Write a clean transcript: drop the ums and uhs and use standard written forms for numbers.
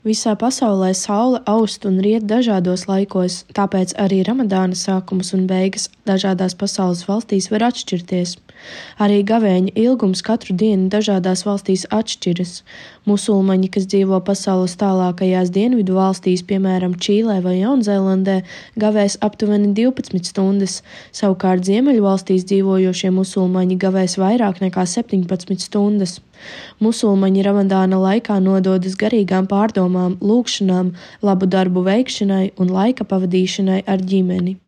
Visā pasaulē saule aust un riet dažādos laikos, tāpēc arī Ramadāna sākums un beigas dažādās pasaules valstīs var atšķirties. Arī gavēņa ilgums katru dienu dažādās valstīs atšķiras. Musulmaņi, kas dzīvo pasaules tālākajās dienvidu valstīs, piemēram, Čīlē vai Jaunzēlandē, gavēs aptuveni 12 stundas, savukārt ziemeļu valstīs dzīvojošie musulmaņi gavēs vairāk nekā 17 stundas. Musulmaņi Ramadāna laikā nododas garīgām pārdomām, lūgšanām, labu darbu veikšanai un laika pavadīšanai ar ģimeni.